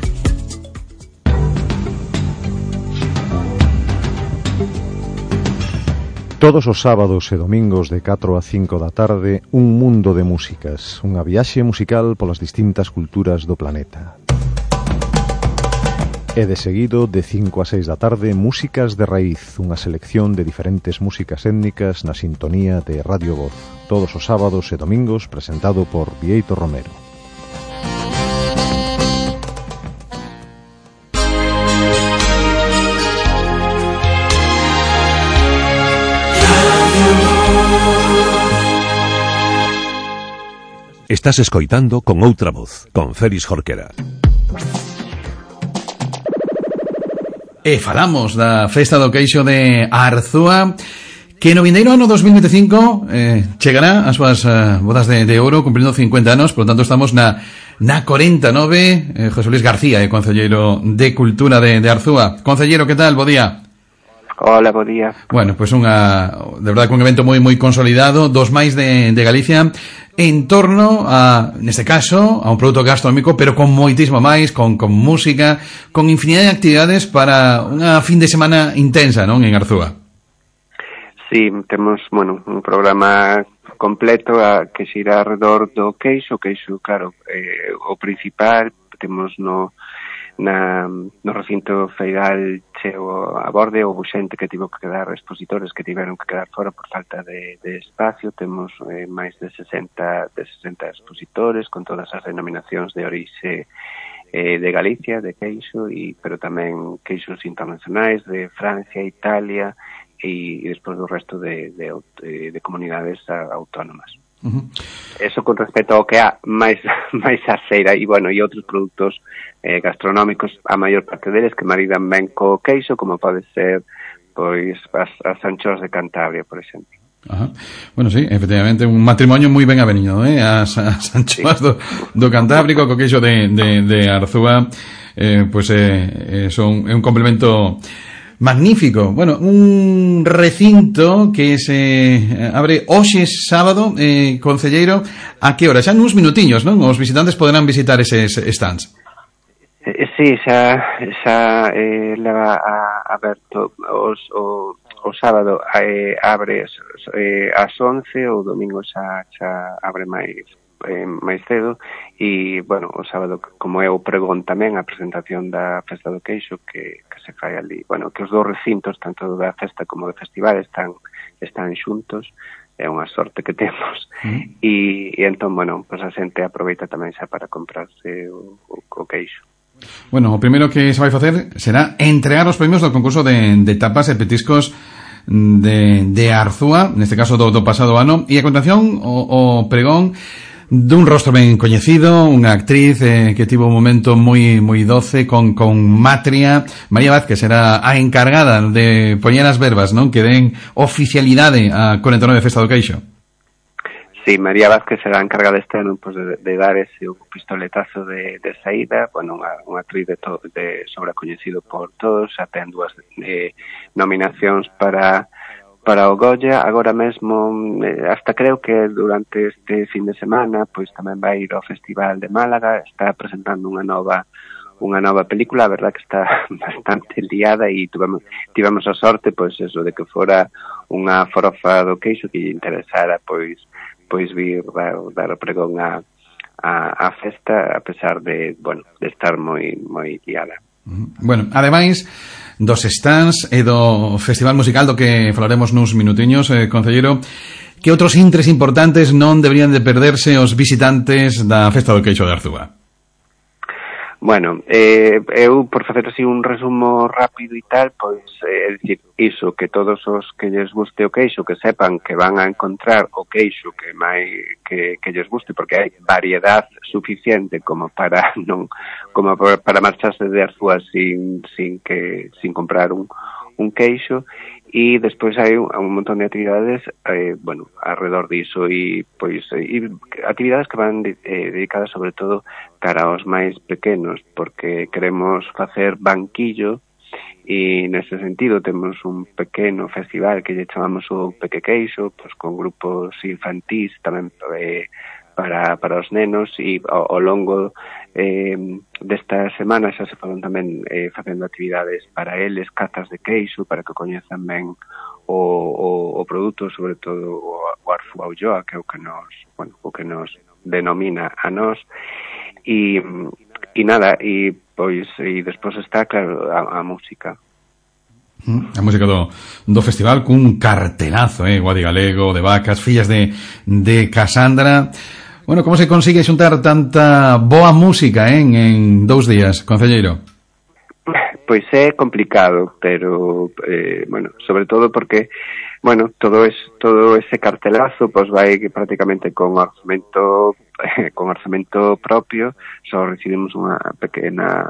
N: Todos os sábados e domingos de 4 a 5 da tarde, un mundo de músicas, unha viaxe musical polas distintas culturas do planeta. E de seguido, de 5 a 6 da tarde, Músicas de Raíz, unha selección de diferentes músicas étnicas na sintonía de Radio Voz. Todos os sábados e domingos, presentado por Vieito Romero.
A: Estás escoitando Con Outra Voz, con Félix Jorquera.
B: E falamos da festa do queixo de Arzúa, que no vindeiro ano 2025 chegará as súas bodas de ouro, cumprindo 50 anos. Por lo tanto estamos na 49. José Luis García, concelleiro de Cultura de Arzúa. Concelleiro, que tal? Bo día.
O: Hola, bo día.
B: Bueno, pues de verdade, un evento moi consolidado, dos máis de Galicia, en torno a, neste caso, a un produto gastronómico, pero con moitísimo máis, con música, con infinidade de actividades para unha fin de semana intensa, non, en Arzúa.
O: Sí, temos, un programa completo que xira alrededor do queixo, claro, o principal, temos no recinto feiral cheo a borde, houve xente que tivo que quedar, expositores que tiveron que quedar fora por falta de espacio. Temos máis de 60 expositores con todas as denominacións de orixe de Galicia, de queixo, pero tamén queixos internacionais de Francia, Italia e despois do resto de comunidades autónomas. Eso con respecto ao que há máis a feira e outros produtos gastronómicos, a maior parte deles que maridan ben co queixo, como pode ser pois as anchoas de Cantabria, por exemplo.
B: Ajá. Bueno, sí, efectivamente, un matrimonio moi ben avenido, as anchoas do Cantábrico co queixo de Arzúa, son un complemento magnífico. Bueno, un recinto que se abre hoxe sábado, concelleiro, a que hora? Xa nuns minutiños, non? Os visitantes poderán visitar eses stands.
O: Sí, xa leva aberto o sábado, abre ás 11, o domingo xa abre máis cedo e, o sábado, como é o pregón tamén, a presentación da Festa do Queixo que se fai ali, que os dous recintos, tanto da festa como do festival, están xuntos, é unha sorte que temos, e entón, a xente aproveita tamén xa para comprarse o queixo.
B: Bueno, o primeiro que se vai facer será entregar os premios do concurso de tapas e petiscos de Arzúa, neste caso do pasado ano, e a continuación o pregón dun rostro ben coñecido, unha actriz que tivo un momento moi doce con Matria. María Vázquez será a encargada de poñer as verbas, non, que den oficialidade a 49 Festa do Queixo.
O: Sí, María Vázquez será a encargada este ano de dar ese pistoletazo de saída, unha actriz de sobrecoñecido por todos, xa ten dúas nominacións para o Goya. Agora mesmo, hasta creo que durante este fin de semana, pois tamén vai ir ao Festival de Málaga, está presentando unha nova película. A verdad que está bastante liada e tivemos a sorte, pois eso, de que fora unha forofa do queixo que lle interesara, pois vir dar o pregón a festa, a pesar de estar moi liada.
B: Bueno, ademais dos stands e do festival musical do que falaremos nuns minutiños, concelleiro, que outros intres importantes non deberían de perderse os visitantes da Festa do Queixo de Arzúa?
O: Bueno, eu, por facer así un resumo rápido e tal, pois, é dicir, iso, que todos os que lles guste o queixo, que sepan que van a encontrar o queixo que lles guste, porque hai variedade suficiente como para marcharse de Arzúa sin comprar un queixo. E despois hai un montón de actividades alrededor diso e actividades que van dedicadas sobre todo cara aos máis pequenos, porque queremos facer banquillo e nese sentido temos un pequeno festival que lle chamamos o Peque Queixo, con grupos infantís tamén para os nenos, e ao longo desta semana xa se foron tamén facendo actividades para eles, cazas de queixo, para que coñezan ben o produto, sobre todo o Arzúa Ulloa, que é o que nos denomina a nós, e nada, e despois está, claro, a música.
B: A música do festival cun cartelazo, Guadi Galego, de Vacas, Fillas de Casandra. Bueno, como se consigue xuntar tanta boa música en 2 días, concelleiro?
O: Pois é complicado, pero sobre todo porque todo ese cartelazo vai prácticamente con orzamento propio. Só recibimos unha pequena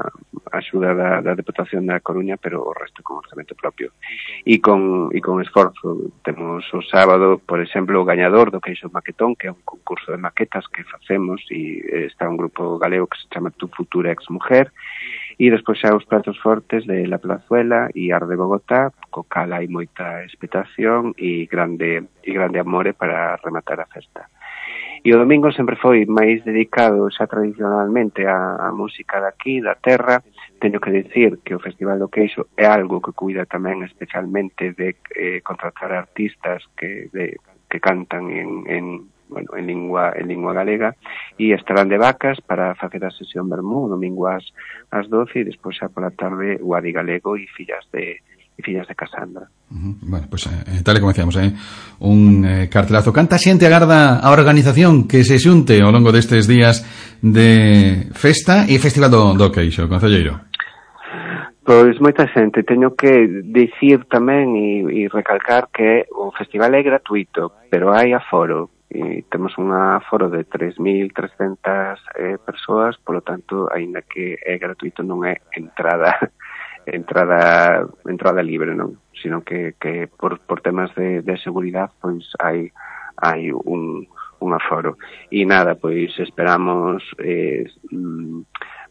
O: axuda da Deputación da Coruña, pero o resto con orzamento propio e con esforzo. Temos o sábado, por exemplo, o gañador do Queixo Maquetón, que é un concurso de maquetas que facemos, e está un grupo galego que se chama Tu Futura Ex Mujer, E despois xa os pratos fortes de La Plazuela e Ar de Bogotá, co cal hai moita expectación e grande amore para rematar a festa. E o domingo sempre foi máis dedicado xa tradicionalmente á música daqui, da terra. Teño que dicir que o Festival do Queixo é algo que cuida tamén especialmente de contratar artistas que cantan en lingua galega, e estarán de Vacas para facer a sesión vermú domingo ás 12 e despois xa pola tarde o Adi Galego e fillas de Casandra.
B: Bueno, pues tal e como decíamos, un cartelazo. Canta xente agarda a organización que se xunte ao longo destes días de festa e Festival do Queixo, concelleiro?
O: Pois moita xente. Teño que dicir tamén e recalcar que o festival é gratuito, pero hai aforo. E temos un aforo de 3.300 persoas, polo tanto, aínda que é gratuito, non é entrada libre, non, sino que por temas de seguridade pois hai un aforo. E nada, pois esperamos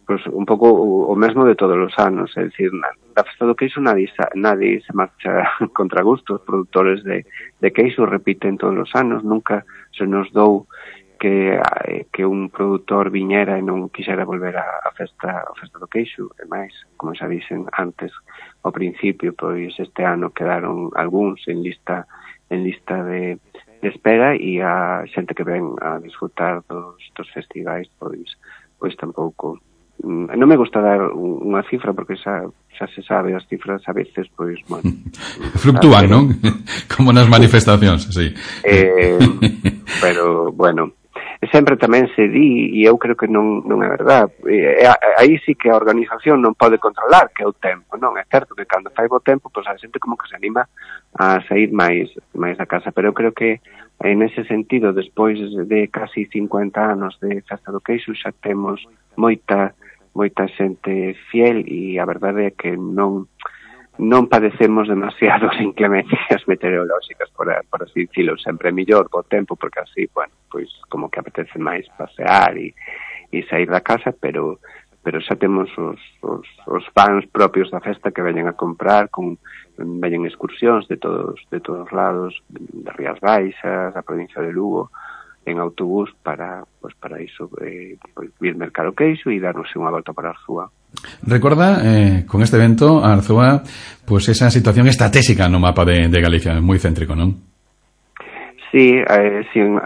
O: pois un pouco o mesmo de todos os anos, é dicir, da Festa do Queixo nadie se marcha contra gusto. Os produtores de queixo repiten todos os anos, nunca se nos dou que un produtor viñera e non quixera volver a festa do Queixo. E máis, como xa dixen antes, ao principio, pois este ano quedaron algúns en lista de espera, e a xente que ven a disfrutar dos festivais pois tampouco. Non me gusta dar unha cifra porque xa se sabe, as cifras a veces pois, bueno,
B: fluctúan, non? Como nas manifestacións, sí.
O: Pero, bueno, sempre tamén se di, e eu creo que non é verdad, aí sí que a organización non pode controlar, que é o tempo, non? É certo que cando fai bo tempo, pois a xente como que se anima a sair máis da casa, pero eu creo que en ese sentido, despois de casi 50 anos de Festa do Queixo, xa temos moita xente fiel, e a verdade é que non padecemos demasiadas inclemencias meteorolóxicas, por así dicilo. Sempre é mellor o tempo, porque así, bueno, pois como que apetece máis pasear e sair da casa, pero xa temos os fans propios da festa que veñen a comprar, veñen excursións de todos lados, de Rías Baixas, da provincia de Lugo, en autobús para iso, vir mercar o queixo e darnos unha volta para Arzúa.
B: Recorda, con este evento, Arzúa, pues esa situación estratégica no mapa de Galicia, moi céntrico, non?
O: Sí, en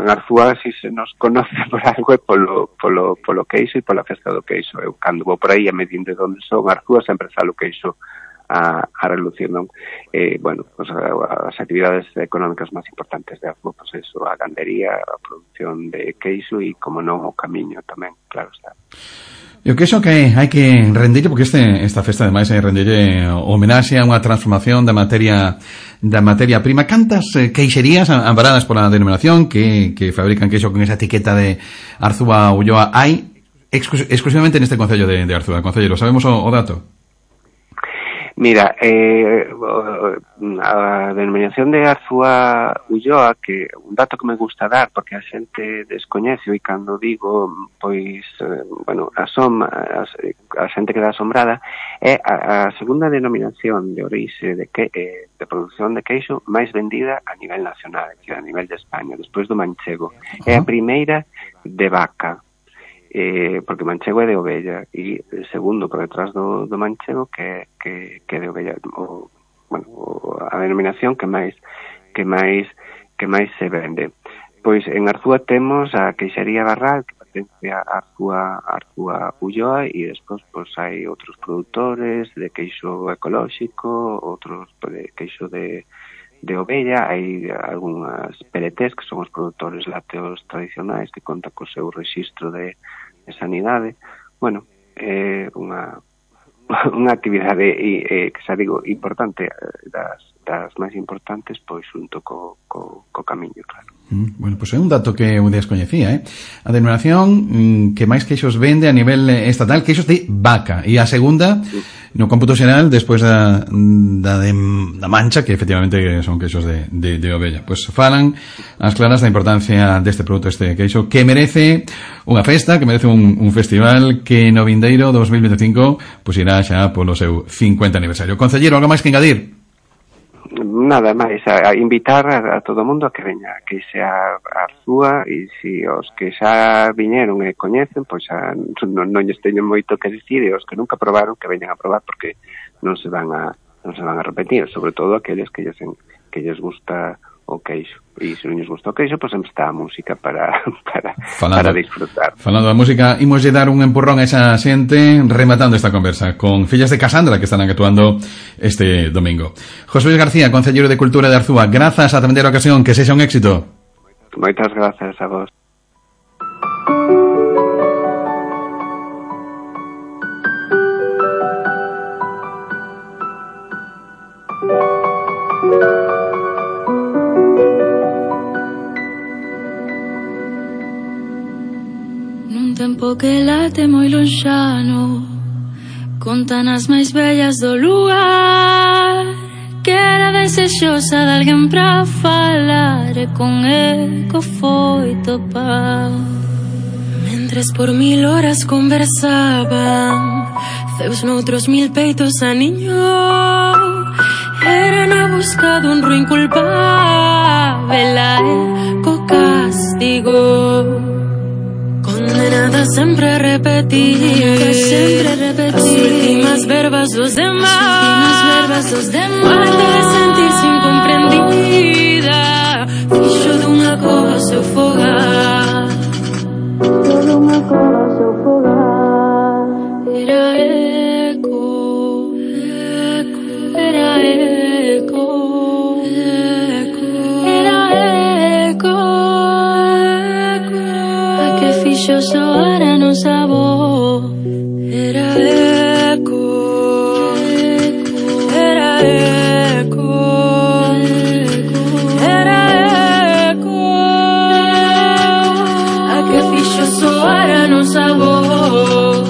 O: Arzúa si se nos conoce por algo é polo queixo e pola festa do queixo. Eu cando vou por aí a medir de onde son Arzúa sempre sale o queixo a relucir, non? Bueno, pues as actividades económicas máis importantes de Arzúa, pues eso, a gandería, a produción de queixo e, como non, o camiño tamén, claro está.
B: E o queixo que hai que rendirlle, porque esta festa ademais é rendirlle homenaxe a unha transformación da materia prima. Cantas queixerías amparadas pola denominación que fabrican queixo con esa etiqueta de Arzúa Ulloa hai exclusivamente neste concello de Arzúa? Concelleiro, sabemos o dato?
O: Mira, a denominación de Arzúa Ulloa, que un dato que me gusta dar, porque a xente descoñece, e cando digo, pois, bueno, a xente queda asombrada, é a segunda denominación de orixe de produción de queixo máis vendida a nivel nacional, a nivel de España, despois do manchego. É a primeira de vaca, porque manchego é de ovella, e segundo por detrás do manchego que de ovella, a denominación que máis se vende. Pois en Arzúa temos a Queixería Barral, que pertence a Arzúa Ulloa, e despois pois hai outros produtores de queixo ecolóxico, outros de queixo de ovella, hai algunhas PLTs que son os produtores lácteos tradicionais que contan co seu rexistro de sanidade. Bueno, unha actividade que xa digo importante das máis importantes, pois xunto co camiño, claro.
B: Bueno, pois é un dato que eu descoñecía, A denominación que máis queixos vende a nivel estatal, queixos de vaca, e a segunda, no cómputo xeral, despois da mancha, que efectivamente son queixos de ovella. Pois falan as claras da importancia deste produto, este queixo, que merece unha festa, que merece un festival que no vindeiro 2025 pois irá xa polo seu 50 aniversario. Concelleiro, algo máis que engadir?
O: Nada máis, a invitar a todo o mundo a que veña, que sea a Arzúa, e se os que xa viñeron e coñecen, pois non lles teño moito que dicir, e os que nunca probaron, que veñan a probar, porque non se van a repetir, sobre todo aqueles que lles gusta o queixo. E se non lles gusta o queixo, pois sempre está a música para disfrutar.
B: Falando da música, imoslle dar un empurrón a esa xente rematando esta conversa con Fillas de Casandra, que estarán actuando este domingo. José Luis García, Concelleiro de Cultura de Arzúa, grazas a atender a ocasión, que sexa un éxito.
O: Moitas grazas a vos.
E: Tempo que late moi lonxano, contan as máis bellas do lugar, que era desexosa de alguén pra falar, e con eco foi topar. Mentres por 1000 horas conversaban, Zeus noutros 1000 peitos a niño, era na busca dun ruín culpável, a eco castigou. Condenada sempre a repetir as últimas verbas dos demais, falta de sentir-se incomprendida, fixo dunha cova seu fogar, era eco, era eco, era eco, a que fixo soar a nosa voz, era eco, era eco, era eco, a que fixo soar a nosa voz.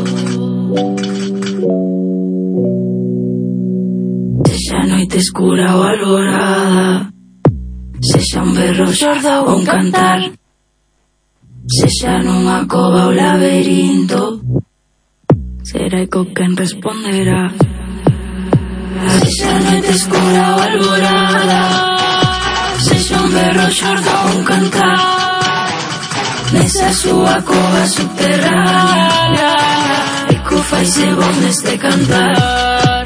E: Sexa noite escura ou alborada, sexa un berro xordo ou un cantar, sexa nunha cova ou laberinto, será eco quen responderá. Sexa noite escura ou alborada, sexa un berro xordo ou un cantar, nesa súa cova subterránea, eco faise voz neste cantar.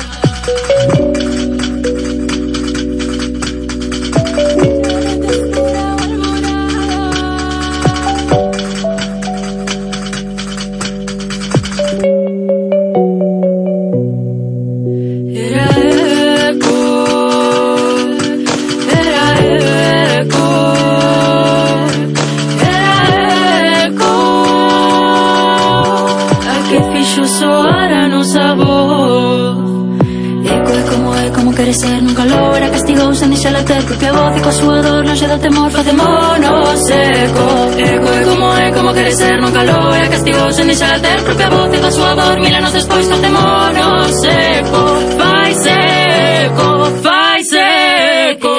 E: Quere ser nunca logra, castigou sen deixala ter propia voz, e coa súa dor longe do temor facémonos eco. Eco é como quere ser nunca logra, castigou sen deixala ter propia voz, e coa súa dor mil anos despois facémonos eco. Fai seco, fai seco.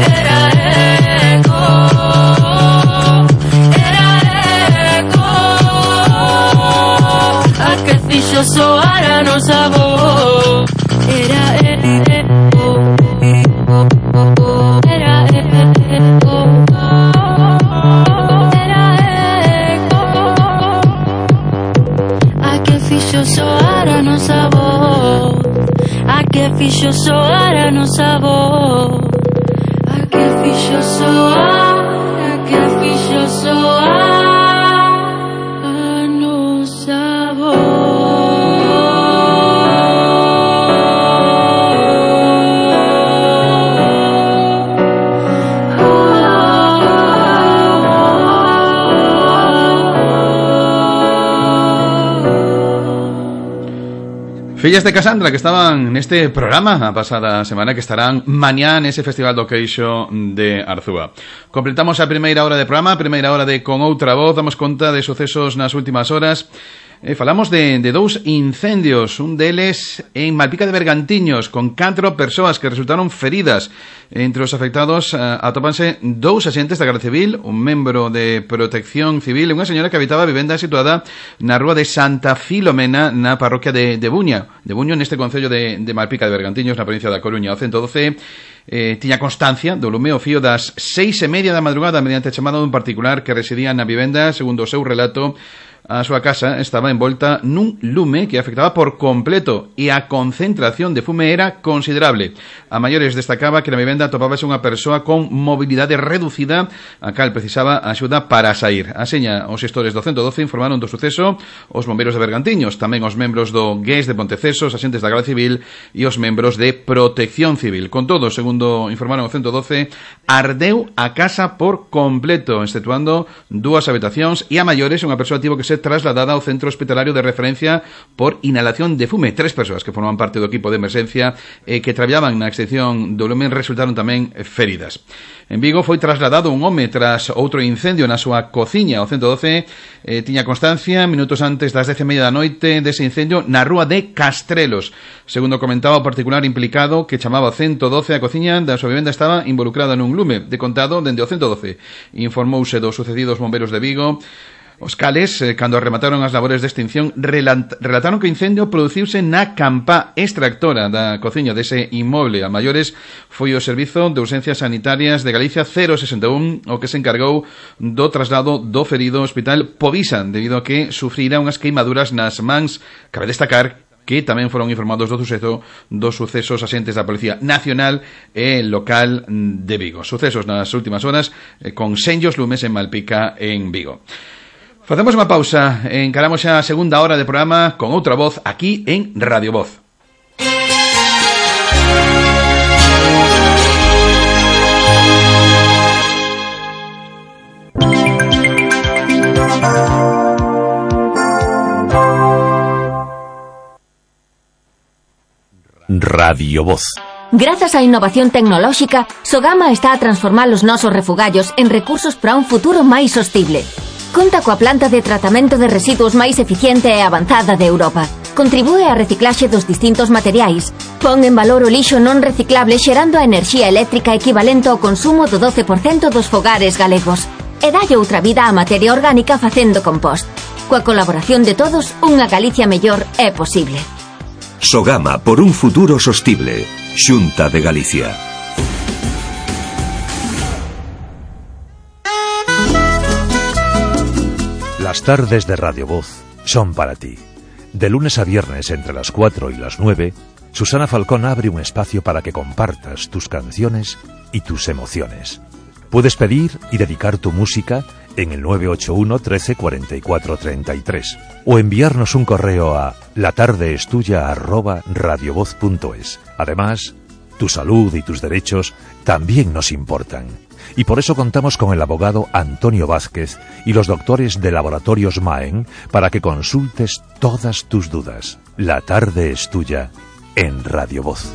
E: Era eco, era eco, a que fixo soar a nosa voz, era eco, era eco, era eco, a que fixo soar a nosa voz, a que fixo soar a nosa voz, a que fixo soar, a que fixo soar.
B: Fillas de Casandra que estaban neste programa a pasada semana, que estarán mañá nese Festival do Queixo de Arzúa. Completamos a primeira hora de programa, a primeira hora de Con Outra Voz. Damos conta de sucesos nas últimas horas. Falamos de dous incendios, un deles en Malpica de Bergantiños, con 4 persoas que resultaron feridas. Entre os afectados atópanse 2 axentes da Garda Civil, un membro de Protección Civil e unha señora que habitaba a vivenda situada na rúa de Santa Filomena, na parroquia de Buño, neste concello de Malpica de Bergantiños, na provincia da Coruña. O 112 tiña constancia do lume ao fío das 6:30 da madrugada mediante chamada dun particular que residía na vivenda. Segundo o seu relato, a súa casa estaba envolta nun lume que afectaba por completo e a concentración de fume era considerable. A maiores destacaba que na vivenda atopábase unha persoa con mobilidade reducida, a cal precisaba axuda para sair. Aseña os xestores do 112 informaron do suceso os bombeiros de Bergantiños, tamén os membros do GES de Ponteceso, os axentes da Garda Civil e os membros de Protección Civil. Con todo, segundo informaron o 112, ardeu a casa por completo, exceptuando 2 habitacións e a maiores unha persoa tivo que ser trasladada ao centro hospitalario de referencia por inhalación de fume. 3 persoas que forman parte do equipo de emerxencia que traballaban na extinción do lume resultaron tamén feridas. En Vigo foi trasladado un home tras outro incendio na súa cociña. O 112 tiña constancia minutos antes das 10:30 da noite dese incendio na rúa de Castrelos. Segundo comentaba o particular implicado que chamaba o 112, a cociña da súa vivenda estaba involucrada nun lume. De contado, dende o 112 informouse do sucedido aos bombeiros de Vigo. Os cales, cando remataron as labores de extinción, relataron que o incendio produciuse na campá extractora da cociña dese inmoble. A maiores foi o Servizo de Urxencias Sanitarias de Galicia 061 o que se encargou do traslado do ferido ao Hospital Povisa, debido a que sufrira unhas queimaduras nas mans. Cabe destacar que tamén foron informados do suceso dos sucesos axentes da Policía Nacional e local de Vigo. Sucesos nas últimas horas con senllos lumes en Malpica en Vigo. Facemos unha pausa, encaramos xa a segunda hora de programa Con Outra Voz aquí en Radio Voz.
A: Radio Voz.
J: Grazas á innovación tecnolóxica, Sogama está a transformar os nosos refugallos en recursos para un futuro máis sostible. Conta coa planta de tratamento de residuos máis eficiente e avanzada de Europa. Contribúe á reciclaxe dos distintos materiais. Pon en valor o lixo non reciclable xerando a enerxía eléctrica equivalente ao consumo do 12% dos fogares galegos. E dalle outra vida á materia orgánica facendo compost. Coa colaboración de todos, unha Galicia mellor é posible.
P: Sogama por un futuro sostible. Xunta de Galicia.
A: Las tardes de Radio Voz son para ti. De lunes a viernes entre las 4 y las 9, Susana Falcón abre un espacio para que compartas tus canciones y tus emociones. Puedes pedir y dedicar tu música en el 981 13 44 33 o enviarnos un correo a latardeestuya@radiovoz.es. Además, tu salud y tus derechos también nos importan. Y por eso contamos con el abogado Antonio Vázquez y los doctores de Laboratorios Maen para que consultes todas tus dudas. La tarde es tuya en Radio Voz.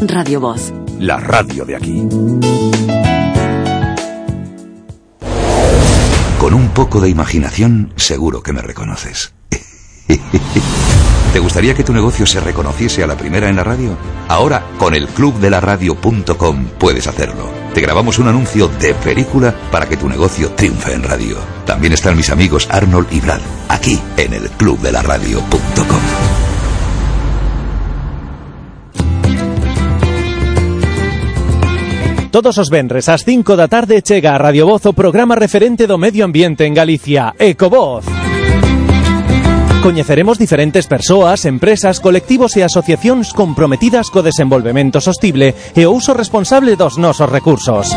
M: Radio Voz.
A: La radio de aquí.
P: Con un poco de imaginación, seguro que me reconoces. ¿Te gustaría que tu negocio se reconociese a la primera en la radio? Ahora, con el clubdelaradio.com puedes hacerlo. Te grabamos un anuncio de película para que tu negocio triunfe en radio. También están mis amigos Arnold y Brad, aquí en el clubdelaradio.com.
Q: Todos os venres ás 5 da tarde chega a Radio Voz o programa referente do medio ambiente en Galicia, Ecovoz. Coñeceremos diferentes persoas, empresas, colectivos e asociacións comprometidas co desenvolvemento sostible e o uso responsable dos nosos recursos.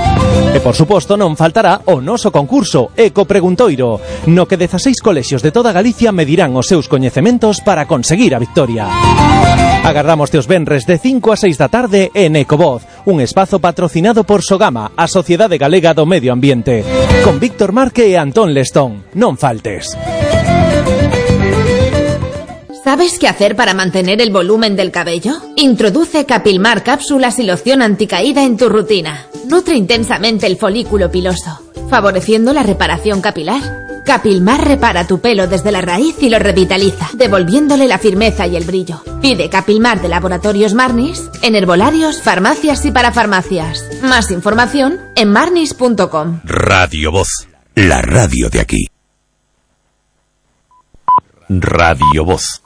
Q: E, por suposto, non faltará o noso concurso Eco Preguntoiro, no que 16 colexios de toda Galicia medirán os seus coñecementos para conseguir a victoria. Agardamos os venres de 5 a 6 da tarde en Ecovoz, un espazo patrocinado por Sogama, a Sociedade Galega do Medio Ambiente, con Víctor Marque e Antón Lestón. Non faltes.
I: ¿Sabes qué hacer para mantener el volumen del cabello? Introduce Capilmar cápsulas y loción anticaída en tu rutina. Nutre intensamente el folículo piloso, favoreciendo la reparación capilar. Capilmar repara tu pelo desde la raíz y lo revitaliza, devolviéndole la firmeza y el brillo. Pide Capilmar de Laboratorios Marnis en herbolarios, farmacias y parafarmacias. Más información en marnis.com.
A: Radio Voz, la radio de aquí. Radio Voz.